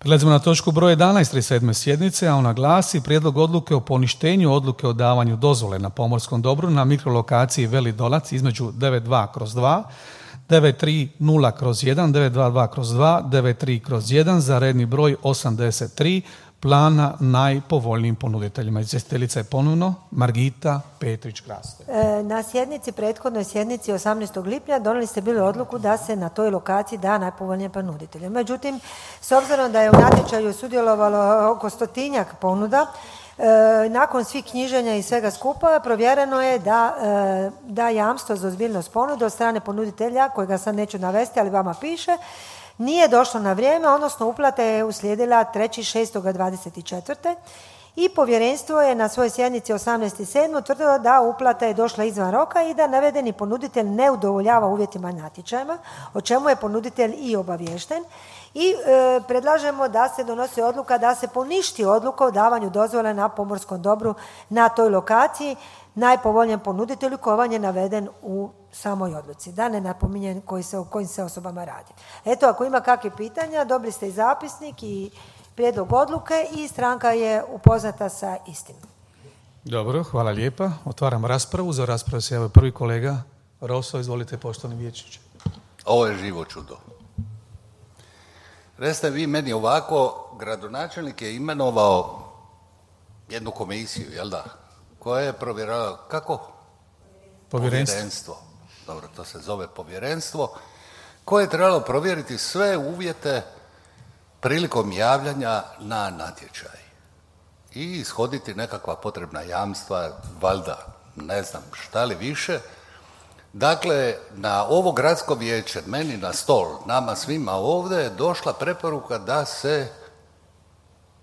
Prelazimo na točku broj 11. 37. sjednice, a ona glasi: prijedlog odluke o poništenju odluke o davanju dozvole na pomorskom dobru na mikrolokaciji Veli Dolac između 92/2, 930/1, 922/2, 93/1 za redni broj 83 plana najpovoljnijim ponuditeljima. Izvjestiteljica je ponovno Margita Petrić-Kraste. Na sjednici, prethodnoj sjednici 18. lipnja donijeli ste bili odluku da se na toj lokaciji da najpovoljnije ponuditelje. Međutim, s obzirom da je u natječaju sudjelovalo oko 100-tinjak ponuda, nakon svih knjiženja i svega skupa provjereno je da jamstvo za ozbiljnost ponude od strane ponuditelja, kojega sad neću navesti, ali vama piše, nije došlo na vrijeme, odnosno uplata je uslijedila 3.6.24. i povjerenstvo je na svojoj sjednici 18.7. utvrdilo da uplata je došla izvan roka i da navedeni ponuditelj ne udovoljava uvjetima natječajima, o čemu je ponuditelj i obaviješten. I predlažemo da se donosi odluka da se poništi odluka o davanju dozvole na pomorskom dobru na toj lokaciji najpovoljnijem ponuditelju koji vam je naveden u samoj odluci. Da ne napominjem o kojim se osobama radi. Eto, ako ima kakve pitanja, dobili ste i zapisnik i prijedlog odluke i stranka je upoznata sa istim. Dobro, hvala lijepa. Otvaram raspravu. Za raspravu se javio prvi kolega Roso. Izvolite, poštovani vijećniče. Ovo je živo čudo. Recite vi meni ovako, gradonačelnik je imenovao jednu komisiju, jel da? Koja je provjerala, kako? Povjerenstvo. Dobro, to se zove povjerenstvo. Koje je trebalo provjeriti sve uvjete prilikom javljanja na natječaj. I ishoditi nekakva potrebna jamstva, valjda, ne znam šta li više. Dakle, na ovo gradsko vijeće, meni na stol, nama svima ovdje je došla preporuka da se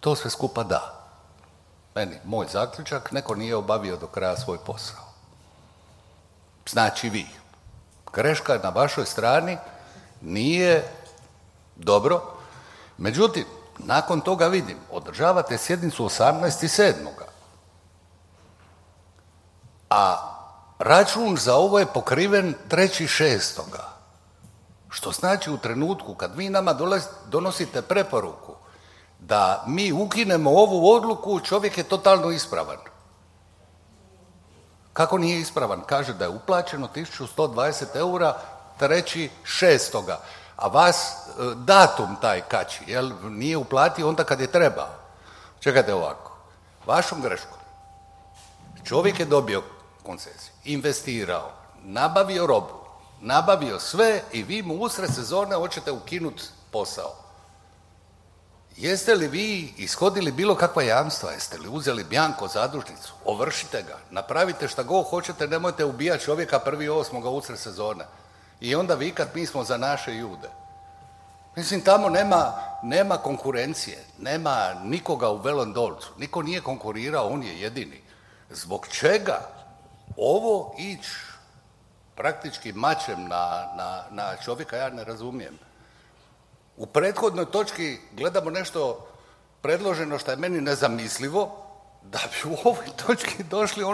to sve skupa da. Meni, moj zaključak, neko nije obavio do kraja svoj posao. Znači vi. Greška je na vašoj strani, nije dobro. Međutim, nakon toga vidim, održavate sjednicu 18.7. A račun za ovo je pokriven 3.6. Što znači u trenutku kad vi nama donosite preporuku da mi ukinemo ovu odluku, čovjek je totalno ispravan. Kako nije ispravan? Kaže da je uplaćeno 1120 eura 3.6. A vas datum taj kači, jel? Nije uplatio onda kad je trebao. Čekajte ovako. Vašom greškom. Čovjek je dobio koncesiju, investirao, nabavio robu, nabavio sve i vi mu usred sezone hoćete ukinuti posao. Jeste li vi ishodili bilo kakva jamstva? Jeste li uzeli bjanko zadužnicu? Ovršite ga, napravite šta god hoćete, nemojte ubijati čovjeka 1.8. usred sezone. I onda vikat mi smo za naše ljude. Mislim, tamo nema konkurencije, nema nikoga u Velom Dolcu, niko nije konkurirao, on je jedini. Zbog čega ovo ići praktički mačem na čovjeka, ja ne razumijem. U prethodnoj točki gledamo nešto predloženo što je meni nezamislivo, da bi u ovoj točki došli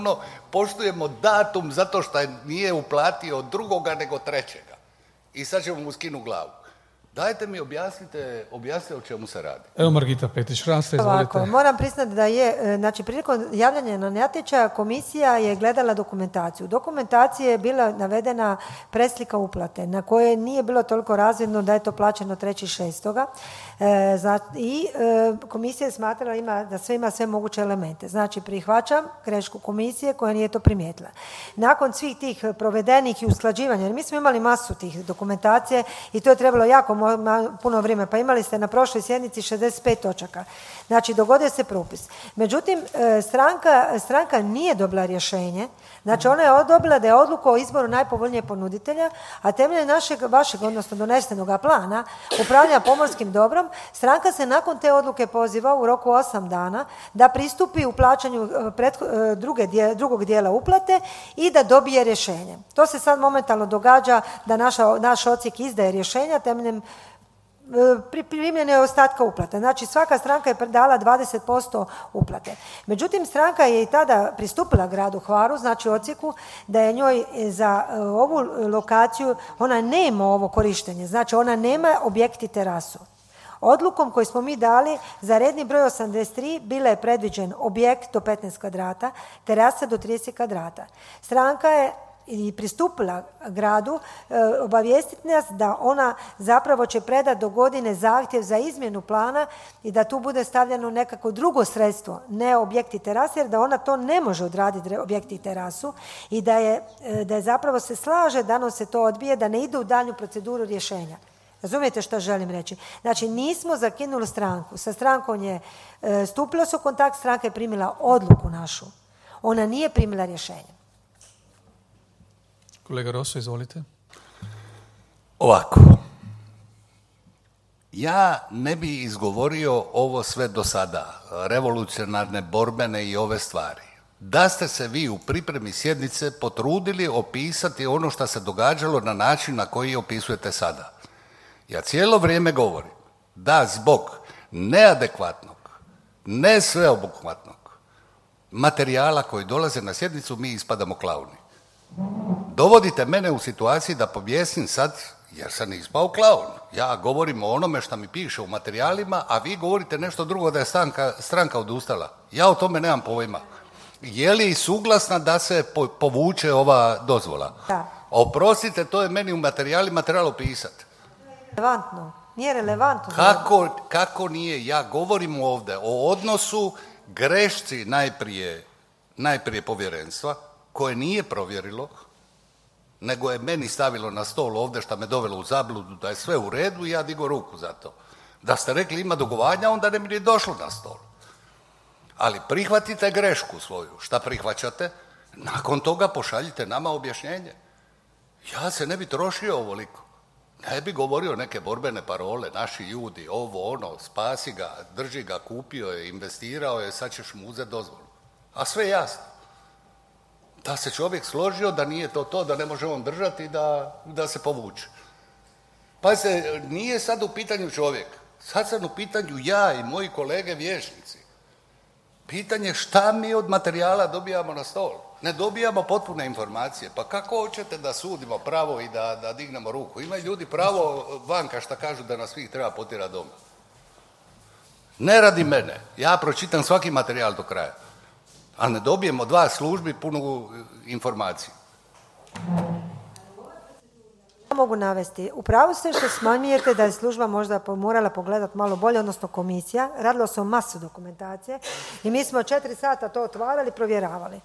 poštujemo datum zato što nije uplatio drugoga nego trećega. I sad ćemo mu skinu glavu. Dajte mi objasnite o čemu se radi. Evo Margita Petrić-Kraste, izvolite. Moram priznati da je, znači prilikom javljanja na natječaj komisija je gledala dokumentaciju. U dokumentaciji je bila navedena preslika uplate na koje nije bilo toliko razvidno da je to plaćeno 3.6. I komisija je smatrala da sve ima sve moguće elemente. Znači prihvaćam grešku komisije koja nije to primijetila. Nakon svih tih provedenih i usklađivanja, jer mi smo imali masu tih dokumentacije i to je trebalo jako puno vrijeme, pa imali ste na prošloj sjednici 65 točaka. Znači, dogodio se propis. Međutim, stranka nije dobila rješenje, znači ona je dobila da je odluka o izboru najpovoljnijeg ponuditelja, a temeljem vašeg, odnosno donesenog plana upravljanja pomorskim dobrom, stranka se nakon te odluke poziva u roku 8 dana da pristupi u plaćanju drugog dijela uplate i da dobije rješenje. To se sad momentalno događa da naš odsjek izdaje rješenja temeljem primljene ostatka uplate. Znači svaka stranka je dala 20% uplate. Međutim, stranka je i tada pristupila gradu Hvaru, znači odsjeku, da je njoj za ovu lokaciju, ona nema ovo korištenje, znači ona nema objekt i terasu. Odlukom koju smo mi dali za redni broj 83 bila je predviđen objekt do 15 kvadrata, terasa do 30 kvadrata. Stranka je i pristupila gradu obavijestiti nas da ona zapravo će predati do godine zahtjev za izmjenu plana i da tu bude stavljeno nekako drugo sredstvo, ne objekt i terase, jer da ona to ne može odraditi objekt i terasu i da je zapravo se slaže da nam se to odbije, da ne ide u daljnju proceduru rješenja. Razumijete što želim reći? Znači, nismo zakinuli stranku. Sa strankom je stupilo se u kontakt, stranka je primila odluku našu. Ona nije primila rješenje. Kolega Rosso, izvolite. Ovako. Ja ne bi izgovorio ovo sve do sada, revolucionarne, borbene i ove stvari. Da ste se vi u pripremi sjednice potrudili opisati ono što se događalo na način na koji opisujete sada. Ja cijelo vrijeme govorim da zbog neadekvatnog, ne sveobuhvatnog materijala koji dolaze na sjednicu mi ispadamo klauni. Dovodite mene u situaciji da pobjesim sad, jer sam ispao klaun. Ja govorim o onome što mi piše u materijalima, a vi govorite nešto drugo da je stranka odustala. Ja o tome nemam pojma. Je li suglasna da se povuče ova dozvola? Da. Oprostite, to je meni u materijalima trebalo pisati. Relevantno. Nije relevantno. Kako nije? Ja govorim ovdje o odnosu grešci najprije povjerenstva, koje nije provjerilo, nego je meni stavilo na stol ovdje što me dovelo u zabludu da je sve u redu i ja digo ruku za to. Da ste rekli ima dugovanja, onda ne bi ni došlo na stol. Ali prihvatite grešku svoju. Šta prihvaćate? Nakon toga pošaljite nama objašnjenje. Ja se ne bi trošio ovoliko. Ne bi govorio neke borbene parole, naši ljudi, ovo, ono, spasi ga, drži ga, kupio je, investirao je, sad ćeš mu uzeti dozvolu. A sve jasno. Da se čovjek složio da nije to, da ne može on držati i da se povuče. Pa se nije sad u pitanju čovjek. Sad sam u pitanju ja i moji kolege vijećnici. Pitanje šta mi od materijala dobijamo na stol. Ne dobijamo potpune informacije. Pa kako hoćete da sudimo pravo i da dignemo ruku? Imaju ljudi pravo vanka šta kažu da nas svih treba potjerati doma. Ne radi mene. Ja pročitam svaki materijal do kraja. A ne dobijemo 2 službi punu informaciju. Ja mogu navesti. Upravo ste što smanjujete da je služba možda morala pogledati malo bolje, odnosno komisija. Radilo se o masu dokumentacije i mi smo 4 sata to otvarali, provjeravali.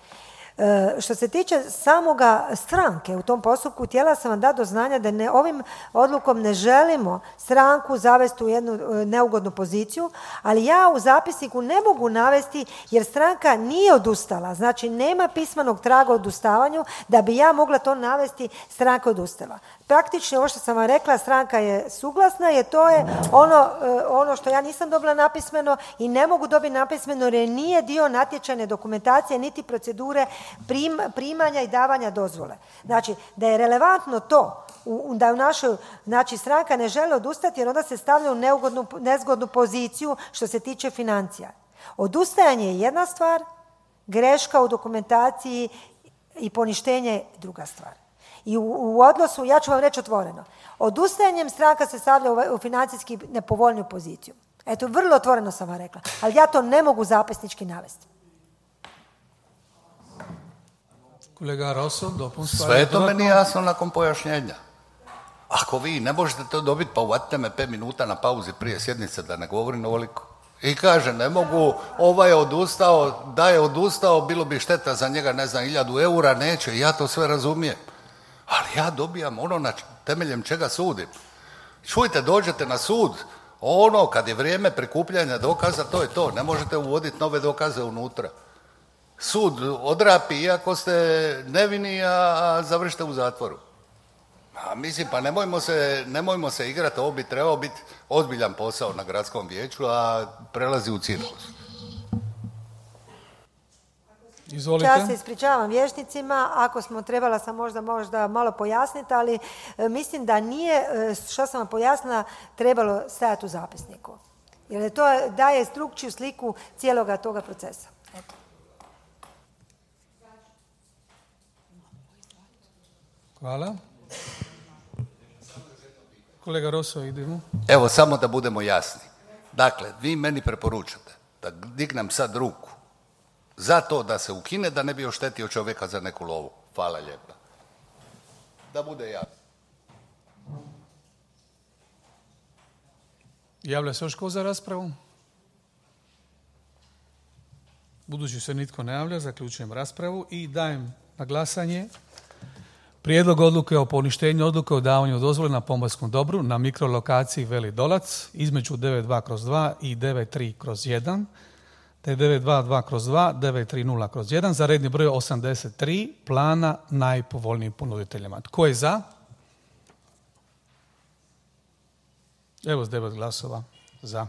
Što se tiče samoga stranke u tom postupku, htjela sam vam dati do znanja da ovim odlukom ne želimo stranku zavesti u jednu neugodnu poziciju, ali ja u zapisniku ne mogu navesti jer stranka nije odustala, znači nema pismenog traga o odustavanju da bi ja mogla to navesti, stranka odustala. Praktično ovo što sam vam rekla, stranka je suglasna jer to je ono što ja nisam dobila napismeno i ne mogu dobiti napismeno jer nije dio natječajne dokumentacije niti procedure primanja i davanja dozvole. Znači, da je relevantno to, da u našoj, znači stranka ne želi odustati jer onda se stavlja u nezgodnu poziciju što se tiče financija. Odustajanje je jedna stvar, greška u dokumentaciji i poništenje je druga stvar. I u odnosu, ja ću vam reći otvoreno, odustajanjem stranka se stavlja u financijski nepovoljniju poziciju. Eto, vrlo otvoreno sam vam rekla, ali ja to ne mogu zapisnički navesti. Kolega Rosso, dopunsko. Sve je to meni jasno nakon pojašnjenja. Ako vi ne možete to dobiti, pa uvatite me 5 minuta na pauzi prije sjednice da ne govorim ovoliko. I kaže, ne mogu, ovaj je odustao, da je odustao, bilo bi šteta za njega, ne znam, 1000 eura, neće, ja to sve razumijem. Ali ja dobijam ono na temeljem čega sudim. Čujte, dođete na sud, kad je vrijeme prikupljanja dokaza, to je to, ne možete uvoditi nove dokaze unutra. Sud odrapi iako ste nevini, a završite u zatvoru. A mislim, pa nemojmo se igrati, ovo bi trebao biti ozbiljan posao na gradskom vijeću, a prelazi u cirkus. Izvolite. Ja se ispričavam vijećnicima, ako smo trebala sam možda malo pojasniti, ali mislim da nije, što sam vam pojasnila, trebalo stajati u zapisniku. Jer to daje strukčiju sliku cijeloga toga procesa. Eto. Hvala. Kolega Roso, idemo. Evo, samo da budemo jasni. Dakle, vi meni preporučate da dignem sad ruku za to da se ukine, da ne bi oštetio čovjeka za neku lovu. Hvala lijepa. Da bude jasno. Javlja se još ko za raspravu? Budući se nitko ne javlja, zaključujem raspravu i dajem na glasanje prijedlog odluke o poništenju odluke o davanju dozvole na pomorskom dobru na mikrolokaciji Veli Dolac između 92/2 i 93/1 te 922/2, 930/1 za redni broj 83 plana najpovoljnijim ponuditeljima. Tko je za? Evo s 9 glasova za.